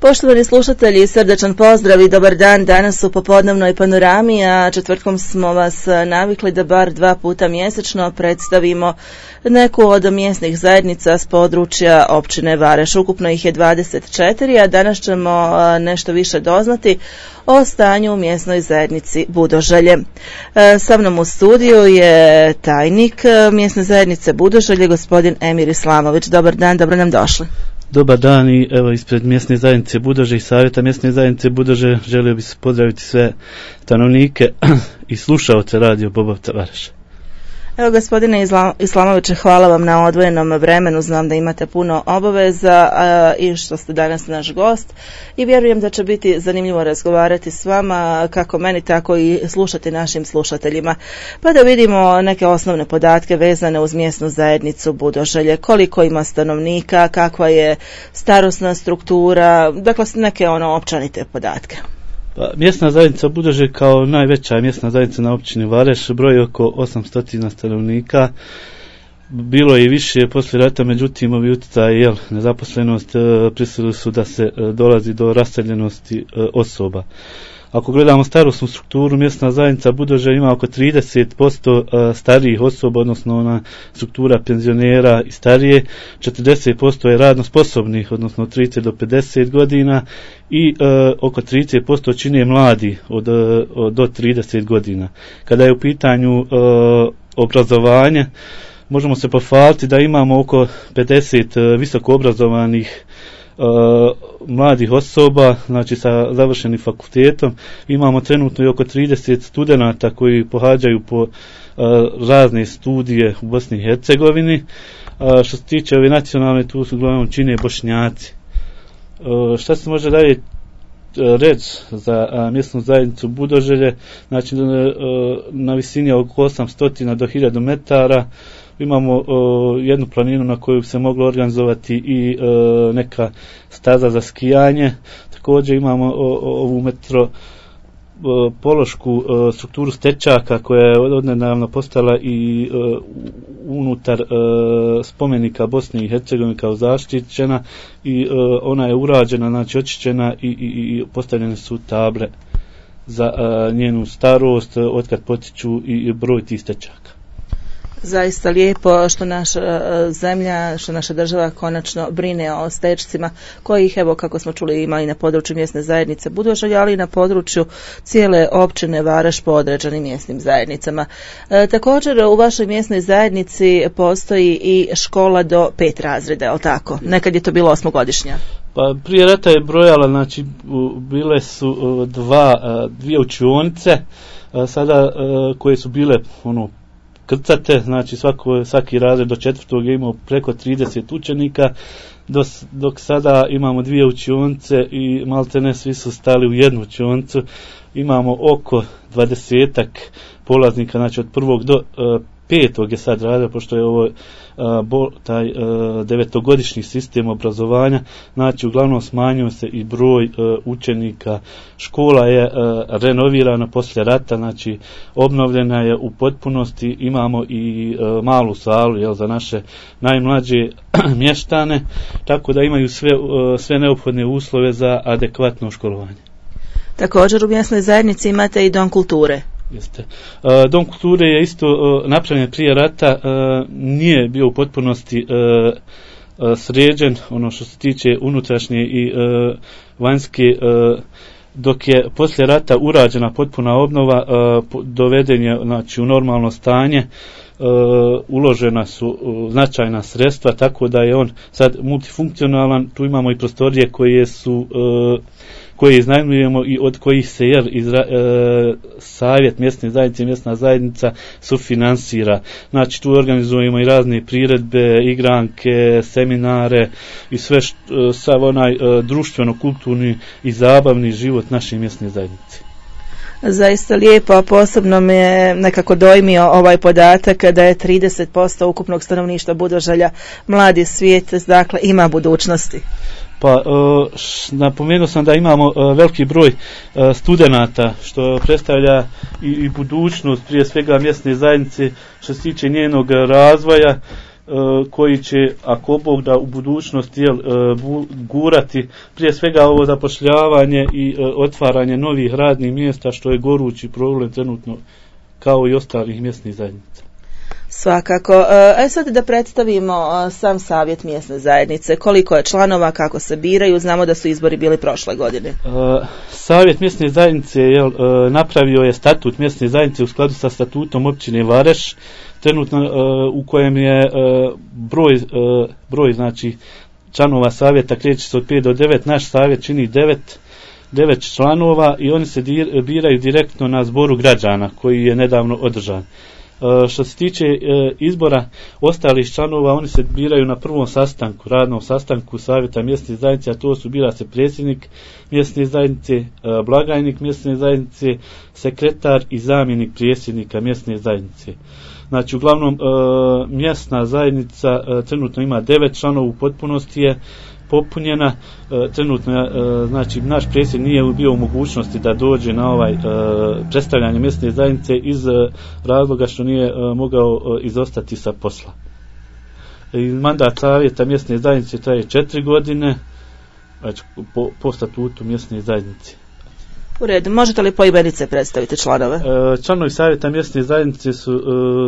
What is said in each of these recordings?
Poštovani slušatelji, srdačan pozdrav i dobar dan. Danas u popodnevnoj panorami, a četvrtkom smo vas navikli da bar 2 puta mjesečno predstavimo neku od mjesnih zajednica s područja općine Vareš. Ukupno ih je 24, a danas ćemo nešto više doznati o stanju u mjesnoj zajednici Budožalje. Sa mnom u studiju je tajnik mjesne zajednice Budožalje, gospodin Emir Islamović. Dobar dan, dobro nam došli. Dobar dan i evo ispred mjesne zajednice Budožalje i savjeta mjesne zajednice Budožalje želio bih se pozdraviti sve stanovnike i slušaoce radio Bobovca Vareša. Evo gospodine Islamoviće, hvala vam na odvojenom vremenu, znam da imate puno obaveza i što ste danas naš gost i vjerujem da će biti zanimljivo razgovarati s vama, kako meni tako i slušati našim slušateljima, pa da vidimo neke osnovne podatke vezane uz mjesnu zajednicu Budožalje, koliko ima stanovnika, kakva je starosna struktura, dakle neke općenite podatke. Pa, mjesna zajednica Budožalje kao najveća mjesna zajednica na općini Vareš broji oko 800 stanovnika. Bilo je i više poslije rata, međutim ovi utjecaji nezaposlenost prisilili su da se dolazi do raseljenosti osoba. Ako gledamo starosnu strukturu, mjesna zajednica Budožalje ima oko 30% starijih osoba, odnosno ona struktura penzionera i starije, 40% je radno sposobnih, odnosno 30 do 50 godina i oko 30% čine mladi do 30 godina. Kada je u pitanju obrazovanje, možemo se pohvaliti da imamo oko 50 visoko obrazovanih mladih osoba, znači sa završenim fakultetom. Imamo trenutno i oko 30 studenata koji pohađaju po razne studije u Bosni i Hercegovini. Što se tiče ove nacionalne, tu su uglavnom čine Bošnjaci. Šta se može dalje reći za mjesnu zajednicu Budožalje? Znači na visini oko 800 do 1000 metara imamo jednu planinu na koju se moglo organizovati i neka staza za skijanje. Također imamo ovu metropološku strukturu stečaka koja je odnedavno postala i unutar spomenika Bosne i Hercegovine kao zaštićena i ona je urađena, znači očišćena i postavljene su table za njenu starost, otkad potiču i broj tih stečaka. Zaista lijepo što naša zemlja, što naša država konačno brine o stečcima kojih, evo kako smo čuli, ima i na području mjesne zajednice Budožalje, ali i na području cijele općine Vareš po određenim mjesnim zajednicama. Također u vašoj mjesnoj zajednici postoji i škola do 5 razreda, je li tako? Nekad je to bilo 8-godišnja. Pa prije rata je brojala, znači bile su dvije učionice, sada koje su bile krcate, znači svaki razred do 4. je imao preko 30 učenika, dok sada imamo 2 učionice i maltene svi su stali u jednu učionicu. Imamo oko 20 polaznika, znači od 1. do 5. je sad radio, pošto je ovo taj 9-godišnji sistem obrazovanja, znači uglavnom smanjio se i broj učenika. Škola je renovirana poslije rata, znači obnovljena je u potpunosti. Imamo i malu salu za naše najmlađe mještane, tako da imaju sve neophodne uslove za adekvatno školovanje. Također u mjesnoj zajednici imate i dom kulture. Jeste. Dom kulture je isto napravljen prije rata, nije bio u potpunosti sređen, ono što se tiče unutrašnje i vanjske, dok je poslije rata urađena potpuna obnova, doveden je, znači, u normalno stanje, uložena su značajna sredstva, tako da je on sad multifunkcionalan. Tu imamo i prostorije koje iznajmljujemo i od kojih se savjet mjesne zajednice, mjesna zajednica sufinansira. Znači tu organizujemo i razne priredbe, igranke, seminare i sve sav onaj društveno-kulturni i zabavni život naše mjesne zajednice. Zaista lijepo, a posebno me je nekako dojmio ovaj podatak da je 30% ukupnog stanovništva Budožalja mladi svijet, dakle ima budućnosti. Pa napomenuo sam da imamo veliki broj studenata, što predstavlja i budućnost prije svega mjesne zajednice što se tiče njenog razvoja koji će, ako Bog da, u budućnosti gurati prije svega ovo zapošljavanje i otvaranje novih radnih mjesta, što je gorući problem trenutno kao i ostalih mjesnih zajednica. Svakako. Sad da predstavimo sam savjet mjesne zajednice. Koliko je članova, kako se biraju? Znamo da su izbori bili prošle godine. Savjet mjesne zajednice napravio je statut mjesne zajednice u skladu sa statutom općine Vareš, trenutno u kojem je broj znači članova savjeta kreće se od 5 do 9. Naš savjet čini 9 članova i oni se biraju direktno na zboru građana koji je nedavno održan. Što se tiče izbora ostalih članova, oni se biraju na prvom sastanku, radnom sastanku savjeta mjesne zajednice, a to su bira se predsjednik mjesne zajednice, blagajnik mjesne zajednice, sekretar i zamjenik predsjednika mjesne zajednice. Znači, uglavnom mjesna zajednica trenutno ima 9 članova, u potpunosti je popunjena. Trenutno znači naš predsjednik nije bio u mogućnosti da dođe na ovaj predstavljanje mjesne zajednice iz razloga što nije mogao izostati sa posla. Mandat savjeta mjesne zajednice traje 4 godine, znači po statutu mjesne zajednice. U redu, možete li poimenice predstaviti članove? Članovi savjeta mjesne zajednice su,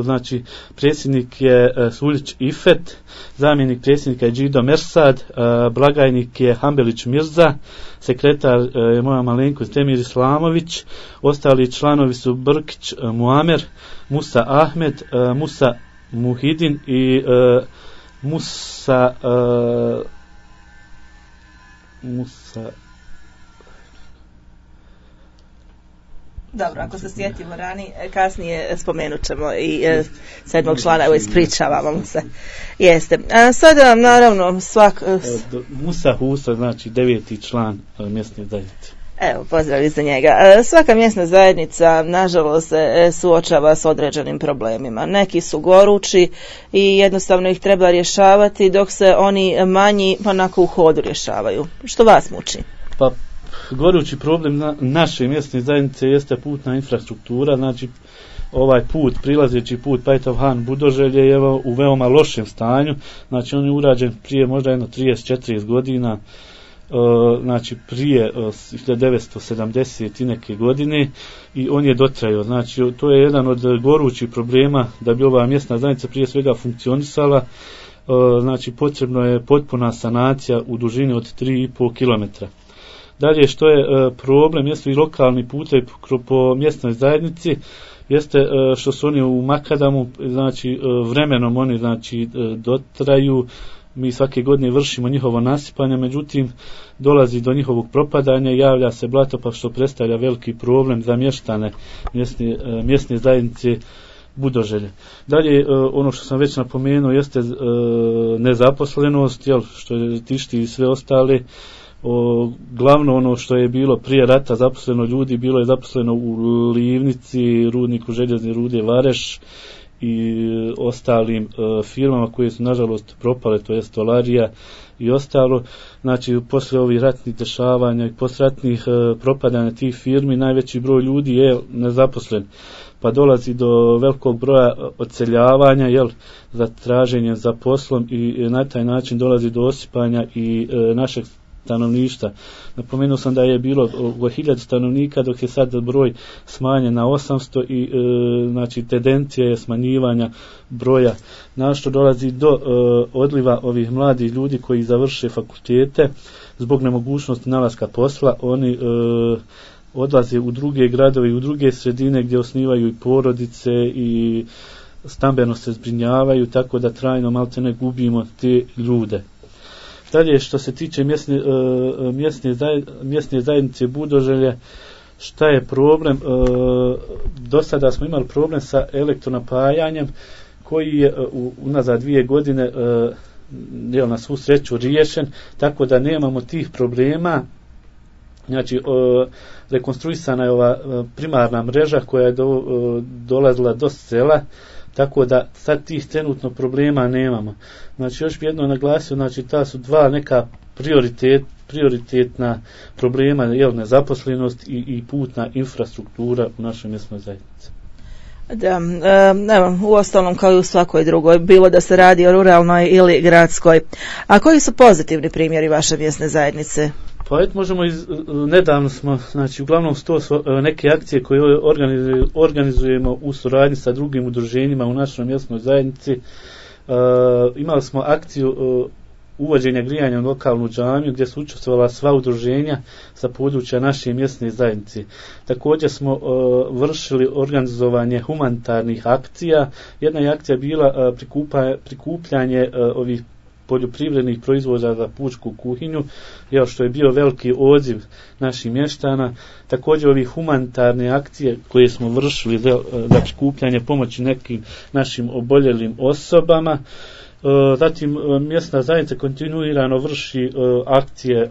znači, predsjednik je Suljić Ifet, zamjenik predsjednika je Džido Mersad, blagajnik je Hambelić Mirza, sekretar je moja malenkost Temir Islamović, ostali članovi su Brkić Muamer, Musa Ahmed, Musa Muhidin i Musa Dobro, ako se sjetimo kasnije spomenut ćemo i 7. člana, evo ispričavamo mu se. Jeste. Sada naravno Musa Husa, znači 9. član mjesne zajednice. Evo, pozdrav za njega. Svaka mjesna zajednica, nažalost, se suočava s određenim problemima. Neki su gorući i jednostavno ih treba rješavati, dok se oni manji onako u hodu rješavaju. Što vas muči? Pa, gorući problem naše mjesne zajednice jeste putna infrastruktura, znači ovaj put, prilazeći put Pajtov Han Budoželje je u veoma lošem stanju, znači on je urađen prije možda 30-40 godina, znači prije 1970 i neke godine i on je dotrajao, znači to je jedan od gorućih problema da bi ova mjesna zajednica prije svega funkcionisala. Znači potrebno je potpuna sanacija u dužini od 3,5 km. Dalje, što je problem, jesu i lokalni putevi po mjesnoj zajednici, jeste što su oni u makadamu, znači vremenom oni znači dotraju, mi svake godine vršimo njihovo nasipanje, međutim dolazi do njihovog propadanja, javlja se blato, pa što predstavlja veliki problem za mještane mjesne zajednice Budoželje. Dalje, ono što sam već napomenuo jeste nezaposlenost, što je tišti i sve ostale. Glavno ono što je bilo prije rata zaposleno ljudi, bilo je zaposleno u Livnici, rudniku željezne rude Vareš i ostalim firmama koje su nažalost propale, to je Stolarija i ostalo. Znači poslije ovih ratnih dešavanja i posratnih propadanja tih firmi najveći broj ljudi je nezaposlen, pa dolazi do velikog broja odseljavanja za traženjem za poslom i na taj način dolazi do osipanja i našeg stanovništva. Napomenuo sam da je bilo oko 1000 stanovnika, dok je sad broj smanjen na 800 i znači tendencija je smanjivanja broja. Na što dolazi do odliva ovih mladih ljudi koji završe fakultete zbog nemogućnosti nalaska posla. Oni odlaze u druge gradove i u druge sredine gdje osnivaju i porodice i stambeno se zbrinjavaju, tako da trajno maltene gubimo te ljude. Dalje, što se tiče mjesne zajednice Budoželje, šta je problem? Do sada smo imali problem sa elektronapajanjem koji je unazad 2 godine na svu sreću riješen, tako da nemamo tih problema. Znači, rekonstruisana je ova primarna mreža koja je dolazila do sela, tako da sad tih trenutno problema nemamo. Znači, još bi jedno naglasio, znači ta su dva neka prioritetna problema, nezaposlenost i putna infrastruktura u našoj mjesnoj zajednici. Da, evo, uostalom kao i u svakoj drugoj, bilo da se radi o ruralnoj ili gradskoj. A koji su pozitivni primjeri vaše mjesne zajednice? Pa eto, nedavno smo, znači uglavnom to su neke akcije koje organizujemo u suradnji sa drugim udruženjima u našoj mjesnoj zajednici. Imali smo akciju uvođenja grijanja u lokalnu džamiju gdje su učestvovala sva udruženja sa područja naše mjesne zajednice. Također smo vršili organizovanje humanitarnih akcija. Jedna je akcija bila prikupljanje ovih poljoprivrednih proizvoda za pučku kuhinju, što je bio veliki odziv naših mještana. Također ovih humanitarne akcije koje smo vršili za prikupljanje pomoći nekim našim oboljelim osobama. Zatim mjesna zajednica kontinuirano vrši akcije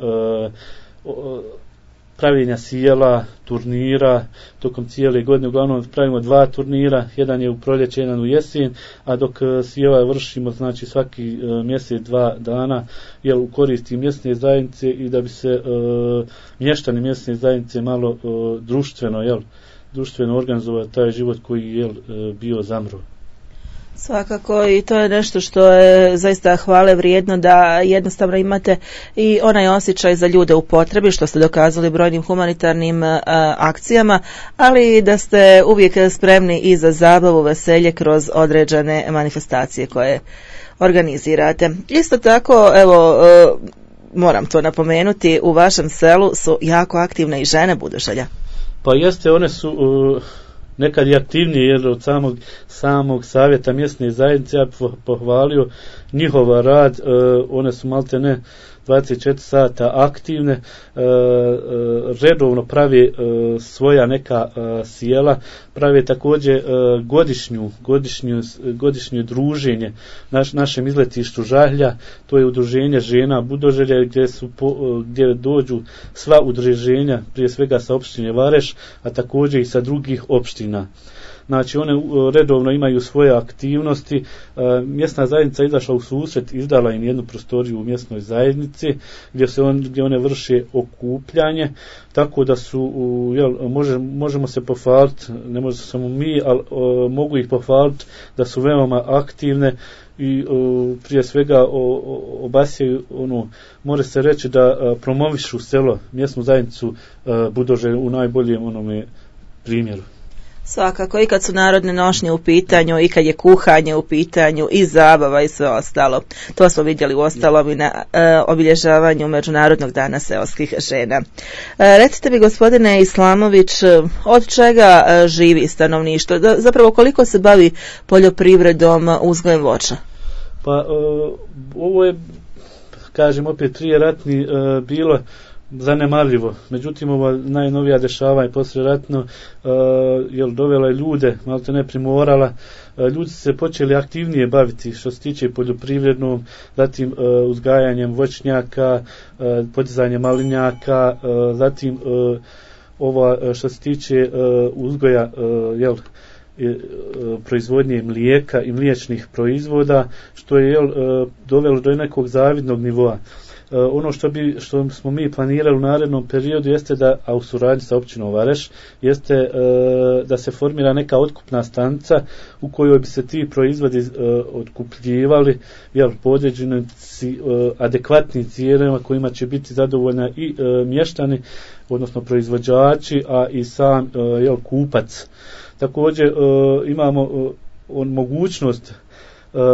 pravljenja sjela, turnira, tokom cijele godine uglavnom pravimo 2 turnira, jedan je u proljeće, jedan u jesen, a dok sjela vršimo znači svaki mjesec 2 dana u koristi mjesne zajednice i da bi se mještani mjesne zajednice malo društveno organizovali taj život koji je bio zamro. Svakako, i to je nešto što je zaista hvale vrijedno, da jednostavno imate i onaj osjećaj za ljude u potrebi, što ste dokazali brojnim humanitarnim akcijama, ali da ste uvijek spremni i za zabavu, veselje kroz određene manifestacije koje organizirate. Isto tako, evo, moram to napomenuti, u vašem selu su jako aktivne i žene Budošalja. Pa jeste, one su nekad i aktivnije, jer od samog savjeta mjesne zajednice ja pohvalio njihov rad. One su malte ne 24 sata aktivne, redovno prave svoja neka sjela, prave također godišnje druženje našem izletištu Žahlja, to je udruženje žena Budoželja gdje dođu sva udruženja, prije svega sa opštine Vareš, a također i sa drugih opština. Znači one redovno imaju svoje aktivnosti. Mjesna zajednica izašla u susret, izdala im jednu prostoriju u mjesnoj zajednici gdje one vrše okupljanje, tako da su možemo se pohvaliti, ne možemo samo mi, ali mogu ih pohvaliti da su veoma aktivne i prije svega obasjaju može se reći da promovišu selo, mjesnu zajednicu Budoželje u najboljem primjeru. Svakako, i kad su narodne nošnje u pitanju, i kad je kuhanje u pitanju, i zabava i sve ostalo. To smo vidjeli u ostalom i na obilježavanju Međunarodnog dana seoskih žena. Recite mi, gospodine Islamović, od čega živi stanovništvo? Zapravo, koliko se bavi poljoprivredom, uzgojem voća? Pa ovo je, kažem opet, prije ratni bilo zanemarljivo. Međutim, ova najnovija dešavanja poslijeratno dovela je ljude, malo te ne primorala, ljudi se počeli aktivnije baviti što se tiče poljoprivrednom, zatim uzgajanjem voćnjaka, podizanjem malinjaka, zatim što se tiče uzgoja proizvodnje mlijeka i mliječnih proizvoda, što je dovelo do nekog zavidnog nivoa. Ono što smo mi planirali u narednom periodu jeste a u suradnji sa općinom Vareš, jeste da se formira neka otkupna stanica u kojoj bi se ti proizvodi otkupljivali po određenim adekvatnim cijenama kojima će biti zadovoljna i mještani, odnosno proizvođači, a i sam kupac. Također imamo mogućnost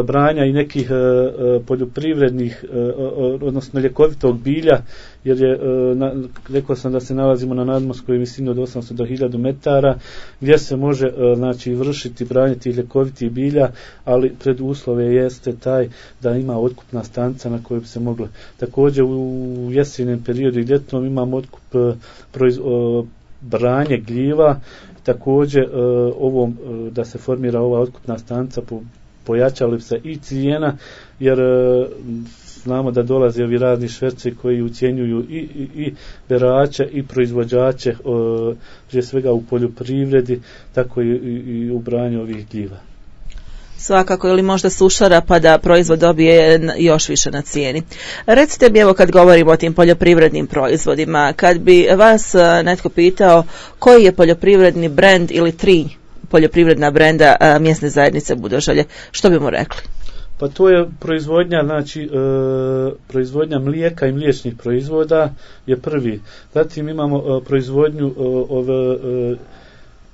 branja i nekih poljoprivrednih, odnosno ljekovitog bilja, jer je, rekao sam da se nalazimo na nadmorskoj visini od 800 do 1000 metara, gdje se može vršiti branje tih ljekovitih bilja, ali preduslove jeste taj da ima otkupna stanica na kojoj bi se moglo. Također u jesenjem periodu i ljetnom imamo otkup branje gljiva, također da se formira ova otkupna stanica pojačali bi se i cijena, jer znamo da dolaze ovi razni šverci koji ucjenjuju i berače i proizvođače, prije svega u poljoprivredi, tako i u branju ovih gljiva. Svakako, ili možda sušara pa da proizvod dobije još više na cijeni. Recite mi, evo, kad govorimo o tim poljoprivrednim proizvodima, kad bi vas netko pitao koji je poljoprivredni brend ili 3 poljoprivredna brenda mjesne zajednice Budožalje. Što bimo rekli? Pa to je proizvodnja, znači proizvodnja mlijeka i mliječnih proizvoda je prvi. Zatim imamo proizvodnju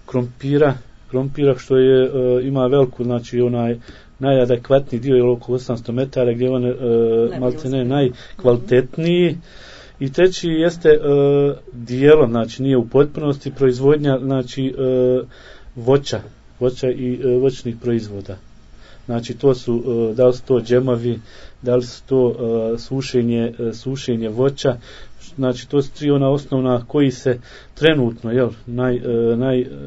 krompira što je ima veliku, znači onaj najadekvatniji dio je oko 800 metara gdje on maltene najkvalitetniji. I treći jeste dijelom, znači nije u potpunosti proizvodnja, znači voća i voćnih proizvoda. Znači to su, da li su to džemovi, da li su to sušenje voća, znači to su tri ona osnovna koji se trenutno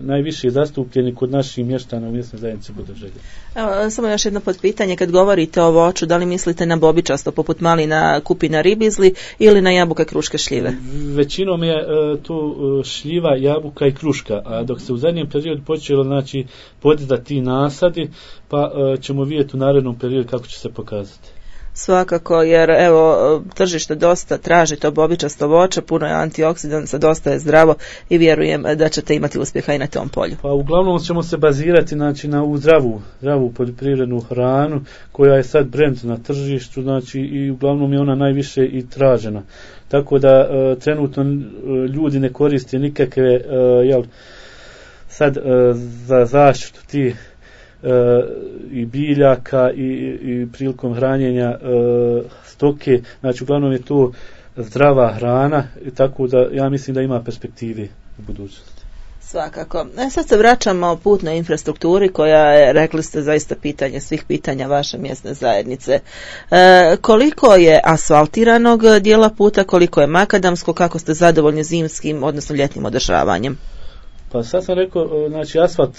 najviše zastupljeni kod naših mještana u mjesnoj zajednici Budožalje. Evo, samo još jedno potpitanje, kad govorite o voću, da li mislite na bobičasto poput malina, kupina, ribizli ili na jabuke, kruške, šljive? Većinom je to šljiva, jabuka i kruška, a dok se u zadnjem periodu počelo znači podizati nasadi, pa ćemo vidjeti u narednom periodu kako će se pokazati. Svakako, jer evo tržište dosta traži to bobičasto voće, puno je antioksidansa, dosta je zdravo i vjerujem da ćete imati uspjeha i na tom polju. Pa uglavnom ćemo se bazirati znači na ovu zdravu poljoprivrednu hranu koja je sad brend na tržištu, znači i uglavnom je ona najviše i tražena. Tako da trenutno ljudi ne koriste nikakve sad za zaštitu tih i biljaka i prilikom hranjenja stoke, znači uglavnom je to zdrava hrana, tako da ja mislim da ima perspektive u budućnosti. Svakako. Sad se vraćamo putnoj infrastrukturi koja je, rekli ste, zaista pitanje svih pitanja vaše mjesne zajednice. Koliko je asfaltiranog dijela puta, koliko je makadamsko, kako ste zadovoljni zimskim, odnosno ljetnim održavanjem? Pa sad sam rekao, znači asfalt,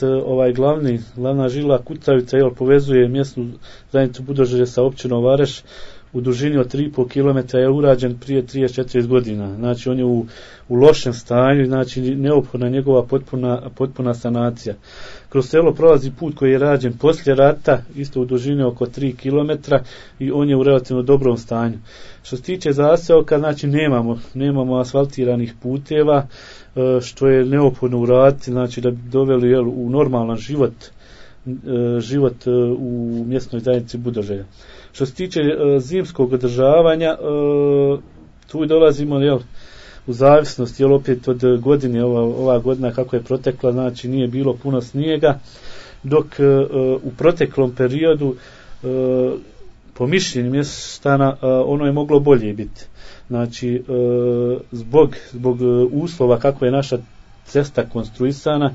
glavna žila kucavica povezuje mjesnu zajednicu Budožalje sa općinom Vareš u dužini od 3,5 km je urađen prije 34 godina. Znači on je u lošem stanju, znači neophodna njegova potpuna sanacija. Kroz selo prolazi put koji je rađen poslije rata, isto u dužini oko 3 km i on je u relativno dobrom stanju. Što se tiče zaseoka, znači nemamo asfaltiranih puteva, što je neophodno uraditi, znači da bi doveli u normalan život u mjesnoj zajednici Budožalja. Što se tiče zimskog održavanja, tu dolazimo u zavisnosti opet od godine, ova godina kako je protekla, znači nije bilo puno snijega, dok u proteklom periodu po mišljenju mještana ono je moglo bolje biti. Znači zbog uslova kako je naša cesta konstruisana,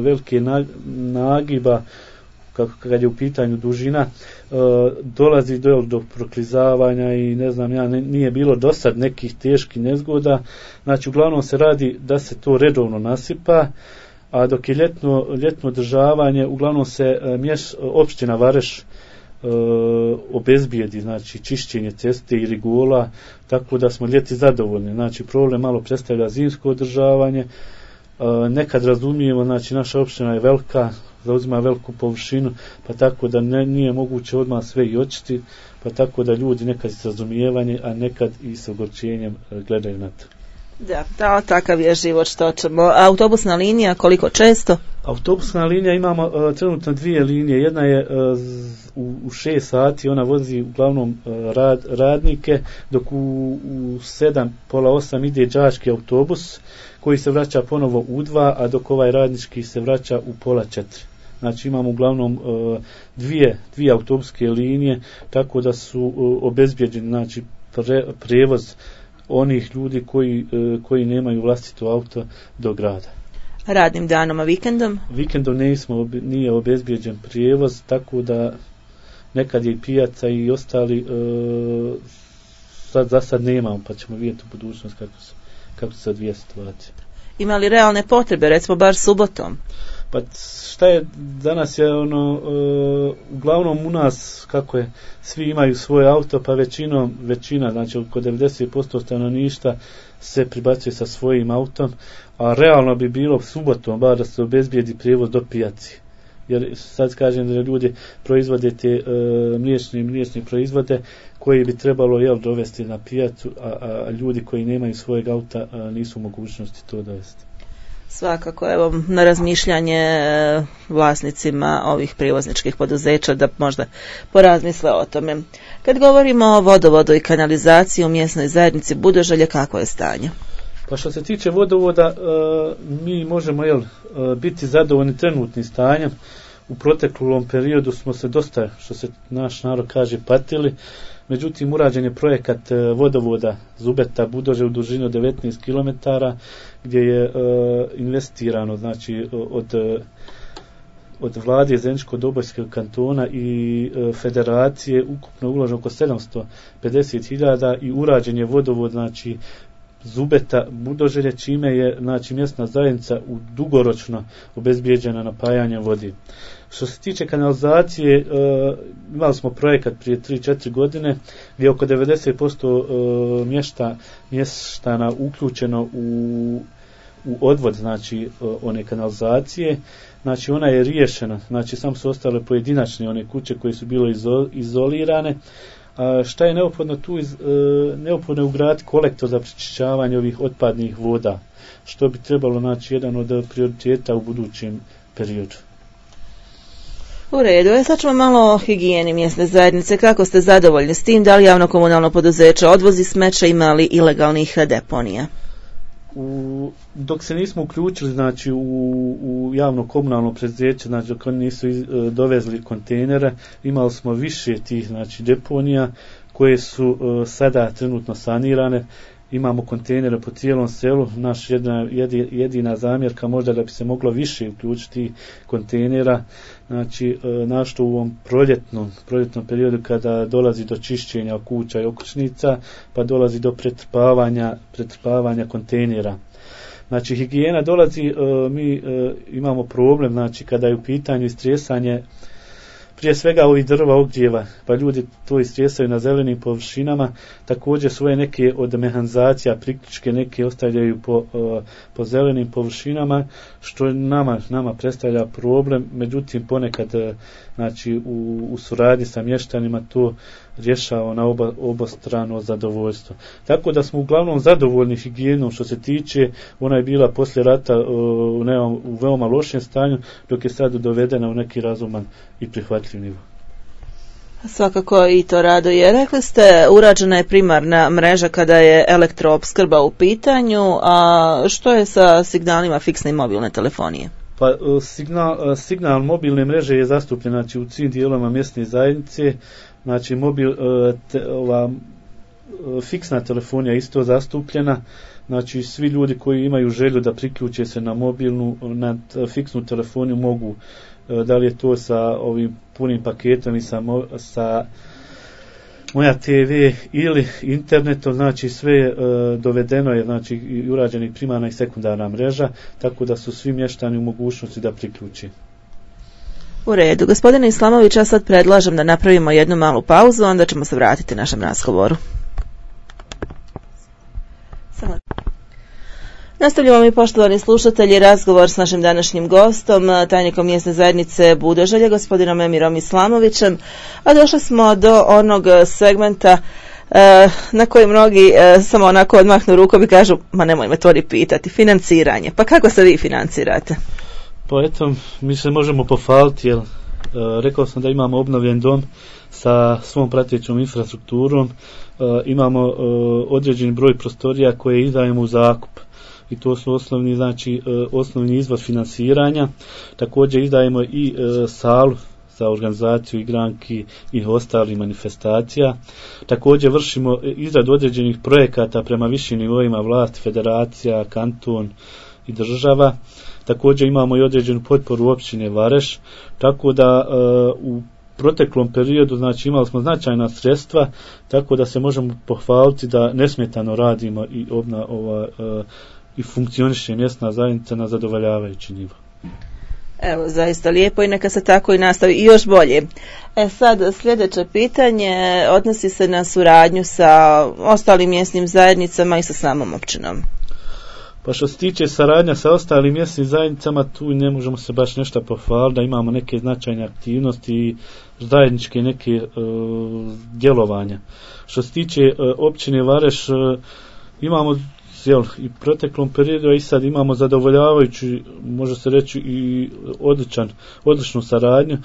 velike nagiba kad je u pitanju dužina, dolazi do proklizavanja i ne znam nije bilo do sad nekih teških nezgoda. Znači uglavnom se radi da se to redovno nasipa, a dok je ljetno održavanje uglavnom se opština Vareš obezbijedi, znači čišćenje ceste i rigola, tako da smo ljeti zadovoljni. Znači problem malo predstavlja zimsko održavanje. Nekad razumijemo, znači naša opština je velika, zauzima veliku površinu, pa tako da nije moguće odmah sve i očiti, pa tako da ljudi nekad s razumijevanjem, a nekad i s ogorčenjem gledaju na to. Da, takav je život, što ćemo. Autobusna linija, koliko često? Autobusna linija imamo trenutno 2 linije. Jedna je u 6 sati, ona vozi uglavnom radnike, dok u 7, pola 8 ide đački autobus koji se vraća ponovo u 2, a dok ovaj radnički se vraća u pola 4. Znači imamo uglavnom dvije autobuske linije, tako da su obezbjeđeni, znači prijevoz onih ljudi koji nemaju vlastito auto do grada. Radnim danom, a vikendom? Vikendom nije obezbjeđen prijevoz, tako da nekad je i pijaca i ostali za sad nemamo, pa ćemo vidjeti u budućnosti kako se odvija situacija. Ima li realne potrebe, recimo bar subotom? Pa šta je, danas je uglavnom u nas, kako je, svi imaju svoje auto, pa većina, znači oko 90% stanovništva se pribacuje sa svojim autom, a realno bi bilo subotom bar da se obezbijedi prijevoz do pijaci. Jer sad kažem da ljudi proizvode te mliječne proizvode koji bi trebalo dovesti na pijacu, a ljudi koji nemaju svojeg auta nisu u mogućnosti to dovesti. Svakako, evo, na razmišljanje vlasnicima ovih prijevozničkih poduzeća da možda porazmisle o tome. Kad govorimo o vodovodu i kanalizaciji u mjesnoj zajednici Budoželje, kako je stanje? Pa što se tiče vodovoda, mi možemo biti zadovoljni trenutnim stanjem. U proteklom periodu smo se dosta, što se naš narod kaže, patili. Međutim, urađen je projekat vodovoda Zubeta Budože u dužini od 19 km gdje je investirano, znači od vlade Zeničko-Dobojskog kantona i federacije ukupno uloženo oko 750.000 i urađen je vodovod, znači Zubeta Budoželje, čime je, znači, mjesna zajednica dugoročno obezbijeđena napajanjem vodi. Što se tiče kanalizacije, imali smo projekat prije 3-4 godine gdje je oko 90% mještana uključeno u odvod, znači one kanalizacije. Znači ona je riješena, znači samo su ostale pojedinačne one kuće koje su bile izolirane. A šta je neophodno tu? Neophodno je ugraditi kolektor za pročišćavanje ovih otpadnih voda, što bi trebalo, znači, jedan od prioriteta u budućem periodu. U redu, sad ćemo malo o higijeni mjesne zajednice. Kako ste zadovoljni s tim? Da li javno komunalno poduzeće odvozi smeće, ima li ilegalnih deponija? Dok se nismo uključili, znači, u javno komunalno preduzeće, znači dok oni nisu dovezli kontejnere, imali smo više tih, znači, deponija koje su sada trenutno sanirane. Imamo kontejnere po cijelom selu. Naš jedina zamjerka možda da bi se moglo više uključiti kontejnera, znači našto u ovom proljetnom periodu kada dolazi do čišćenja kuća i okućnica, pa dolazi do pretrpavanja kontejnera. Znači higijena dolazi, mi imamo problem, znači kada je u pitanju istresanje prije svega ovih drva ogrijeva, pa ljudi to istresaju na zelenim površinama. Također svoje neke od mehanizacija priključke neke ostavljaju po zelenim površinama, što nama predstavlja problem. Međutim, ponekad, znači, u suradnji sa mještanima to rješava na obostrano zadovoljstvo. Tako da smo uglavnom zadovoljni higijenom. Što se tiče, ona je bila poslije rata u veoma lošem stanju, dok je sad dovedena u neki razuman i prihvatljiv nivo. Svakako i to raduje. Rekli ste, urađena je primarna mreža kada je elektroopskrba u pitanju, a što je sa signalima fiksne i mobilne telefonije? Pa signal mobilne mreže je zastupljen, znači, u svim dijelovima mjesne zajednice. Znači fiksna telefonija je isto zastupljena. Znači svi ljudi koji imaju želju da priključe se na fiksnu telefoniju mogu, da li je to sa ovim punim paketom i sa Moja TV ili internetom, znači sve dovedeno je, znači i urađena primarna i sekundarna mreža, tako da su svi mještani u mogućnosti da priključi. U redu. Gospodine Islamović, ja sad predlažem da napravimo jednu malu pauzu, onda ćemo se vratiti našem razgovoru. Nastavljamo mi, poštovani slušatelji, razgovor s našim današnjim gostom, tajnikom mjesne zajednice Budoželje, gospodinom Emirom Islamovićem, a došli smo do onog segmenta na koji mnogi samo onako odmahnu rukom i kažu, ma nemoj me to ni pitati, financiranje. Pa kako se vi financirate? Pa eto, mi se možemo pohvaliti, jer rekao sam da imamo obnovljen dom sa svom pratećom infrastrukturom, imamo određeni broj prostorija koje izdajemo u zakup. I to su osnovni izvor financiranja. Također izdajemo i salu za organizaciju igranki i ostalih manifestacija. Također vršimo izradu određenih projekata prema višim nivoima vlasti, federacija, kanton i država. Također imamo i određenu potporu općine Vareš, tako da u proteklom periodu, znači, imali smo značajna sredstva, tako da se možemo pohvaliti da nesmetano radimo i funkcioniše mjesna zajednica na zadovoljavajući nivo. Evo, zaista lijepo i neka se tako i nastavi i još bolje. Sad sljedeće pitanje odnosi se na suradnju sa ostalim mjesnim zajednicama i sa samom općinom. Pa što se tiče saradnja sa ostalim mjesnim zajednicama, tu ne možemo se baš nešto pohvaliti da imamo neke značajne aktivnosti i zajedničke neke djelovanja. Što se tiče općine Vareš, imamo i proteklom periodu i sad imamo zadovoljavajući, može se reći i odličnu saradnju,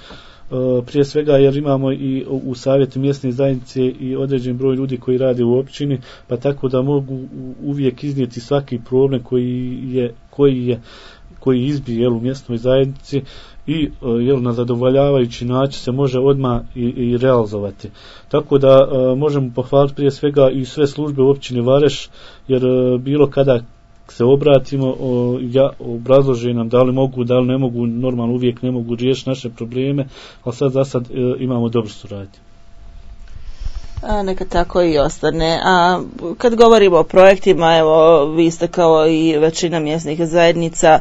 prije svega jer imamo i u savjetu mjesne zajednice i određen broj ljudi koji rade u općini, pa tako da mogu uvijek iznijeti svaki problem koji izbije u mjesnoj zajednici i na zadovoljavajući način se može odmah i realizovati. Tako da možemo pohvaliti prije svega i sve službe u općini Vareš, jer bilo kada se obratimo, obrazlože nam da li mogu, da li ne mogu, normalno uvijek ne mogu riješiti naše probleme, ali za sad imamo dobru suradnju. Neka tako i ostane. A kad govorimo o projektima, evo, vi ste kao i većina mjesnih zajednica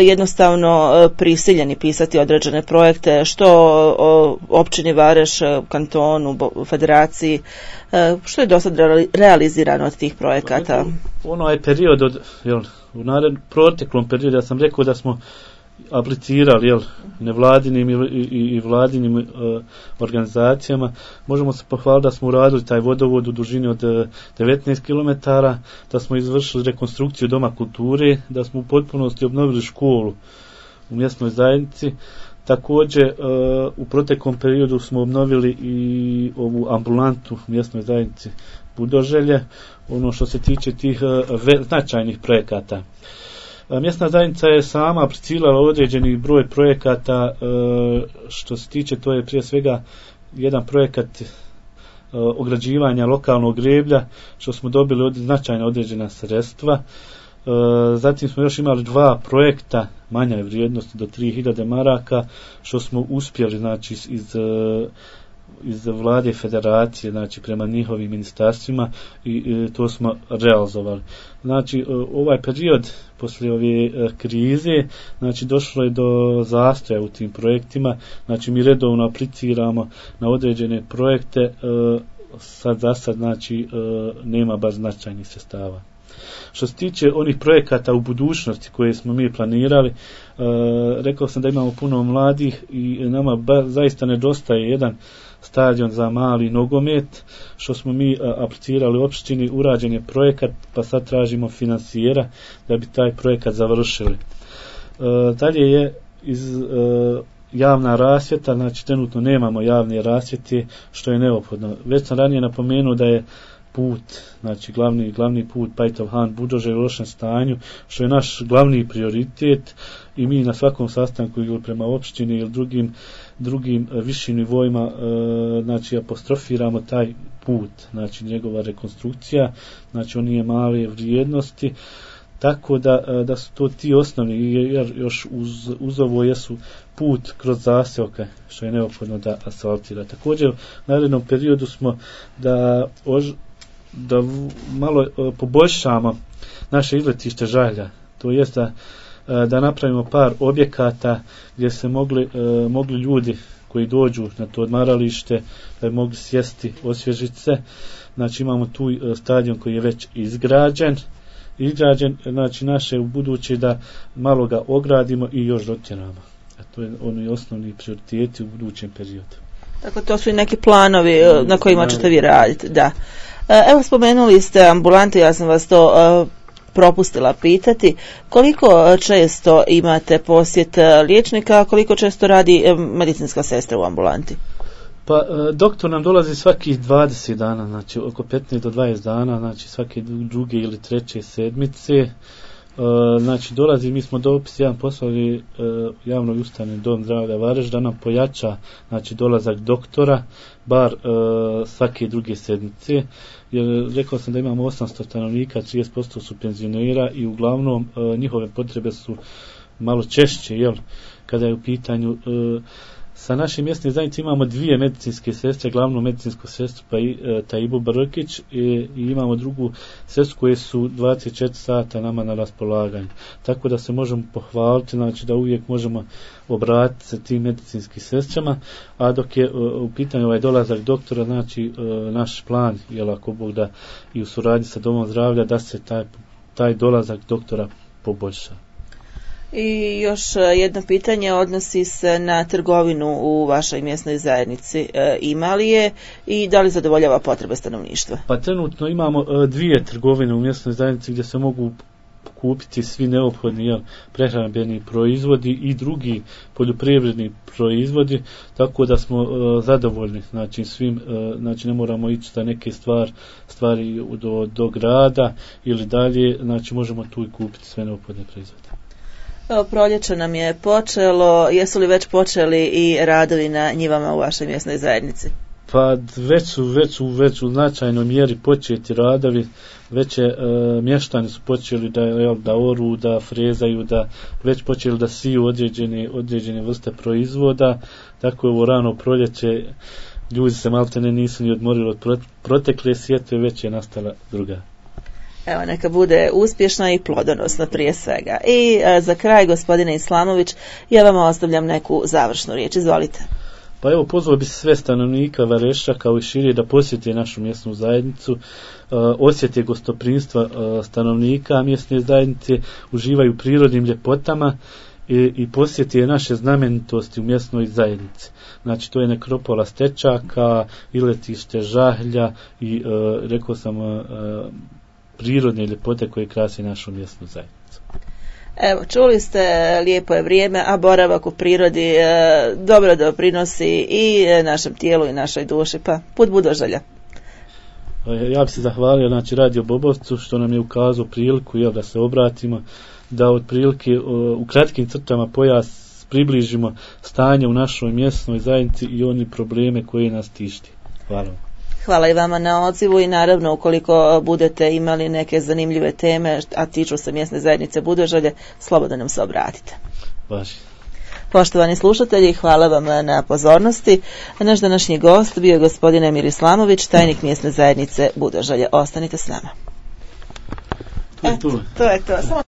jednostavno prisiljeni pisati određene projekte, što o općini Vareš, kantonu, federaciji, što je do sad realizirano od tih projekata? Onaj period u proteklom periodu, ja sam rekao da smo aplicirali nevladinim i vladinim organizacijama, možemo se pohvaliti da smo uradili taj vodovod u dužini od 19 km, da smo izvršili rekonstrukciju doma kulture, da smo u potpunosti obnovili školu u mjesnoj zajednici. Također u proteklom periodu smo obnovili i ovu ambulantu u mjesnoj zajednici Budoželje, ono što se tiče tih značajnih projekata. Mjesna zajednica je sama aplicirala određeni broj projekata, što se tiče, to je prije svega jedan projekat ograđivanja lokalnog greblja, što smo dobili značajna određena sredstva. Zatim smo još imali 2 projekta manje vrijednosti do 3000 maraka, što smo uspjeli, znači, iz vlade federacije, znači prema njihovim ministarstvima, i to smo realizovali. Znači ovaj period poslije ove krize, znači došlo je do zastoja u tim projektima, znači mi redovno apliciramo na određene projekte, za sad znači nema baš značajnih sredstava. Što se tiče onih projekata u budućnosti koje smo mi planirali, rekao sam da imamo puno mladih i nama zaista nedostaje jedan stadion za mali nogomet, što smo mi aplicirali u opštini, urađen je projekat, pa sad tražimo finansijera da bi taj projekat završili. Dalje je javna rasvjeta, znači trenutno nemamo javne rasvjete, što je neophodno. Već sam ranije napomenuo da je put, znači glavni put Pajtov-Han Budoželje u lošem stanju, što je naš glavni prioritet, i mi na svakom sastanku ili prema opštini ili drugim višim nivoima, znači apostrofiramo taj put, znači njegova rekonstrukcija, znači on nije male vrijednosti, tako da su to ti osnovni, jer još uz ovo jesu put kroz zaseoke, što je neophodno da asfaltira. Također u narednom periodu smo da malo poboljšamo naše izletište Žalja, to jest da napravimo par objekata gdje se mogli ljudi koji dođu na to odmaralište da bi mogli sjesti, osvježiti se. Znači imamo tu stadion koji je već izgrađen, znači naše u buduće da malo ga ogradimo i još dotjeramo. To je oni osnovni prioriteti u budućem periodu. Tako, to su i neki planovi na kojima ćete vi raditi, da. Evo, spomenuli ste ambulantu, ja sam vas to propustila pitati. Koliko često imate posjet liječnika, koliko često radi medicinska sestra u ambulanti? Pa doktor nam dolazi svakih 20 dana, znači oko 15 do 20 dana, znači svake druge ili treće sedmice. Znači dolazi, mi smo dopis jedan poslali javnoj ustanovi Dom zdravlja Vareš da nam pojača, znači dolazak doktora bar svake druge sedmice, jer rekao sam da imamo 800 stanovnika, 30% su penzionera i uglavnom njihove potrebe su malo češće, kada je u pitanju sa našim mjesnim zajednicama imamo 2 medicinske sestre, glavnu medicinsku sestru Tajibu Brkić i imamo drugu sestru koje su 24 sata nama na raspolaganju. Tako da se možemo pohvaliti, znači da uvijek možemo obratiti se tim medicinskim sestrama, a dok je u pitanju ovaj dolazak doktora, znači naš plan, ako Bog da, i u suradnji sa Domom zdravlja, da se taj dolazak doktora poboljša. I još jedno pitanje odnosi se na trgovinu u vašoj mjesnoj zajednici. Ima li je i da li zadovoljava potrebe stanovništva? Pa trenutno imamo dvije trgovine u mjesnoj zajednici gdje se mogu kupiti svi neophodni prehrambeni proizvodi i drugi poljoprivredni proizvodi, tako da smo zadovoljni, znači svim, znači ne moramo ići za neke stvari do grada ili dalje, znači možemo tu i kupiti sve neophodne proizvode. Evo, proljeće nam je počelo, jesu li već počeli i radovi na njivama u vašoj mjesnoj zajednici? Pa već u značajnoj mjeri početi radovi, već mještani su počeli da oru, da frezaju, da već počeli da siju određene vrste proizvoda, tako je ovo rano proljeće, ljudi se maltene nisu ni odmorili od protekle sjetve, već je nastala druga. Evo, neka bude uspješna i plodonosna prije svega. I za kraj, gospodine Islamović, ja vama ostavljam neku završnu riječ, izvolite. Pa evo, pozvao bi se sve stanovnika Vareša kao i šire da posjete našu mjesnu zajednicu, osjete gostoprimstva stanovnika mjesne zajednice, uživaju prirodnim ljepotama i posjete naše znamenitosti u mjesnoj zajednici. Znači, to je nekropola Stečaka, iletište Žahlja i, rekao sam, prirodne ljepote koje krase našu mjesnu zajednicu. Evo, čuli ste, lijepo je vrijeme, a boravak u prirodi dobro doprinosi i našem tijelu i našoj duši, pa put Budožalja. Ja bih se zahvalio, znači, Radio Bobovcu što nam je ukazao priliku da se obratimo, da otprilike u kratkim crtama približimo stanje u našoj mjesnoj zajednici i oni probleme koje nas tišti. Hvala vam. Hvala i vama na odzivu i naravno ukoliko budete imali neke zanimljive teme, a tiču se mjesne zajednice Budožalje, slobodno nam se obratite. Baš. Poštovani slušatelji, hvala vam na pozornosti. Naš današnji gost bio je gospodin Emir Islamović, tajnik mjesne zajednice Budožalje. Ostanite s nama. To je to. To je to.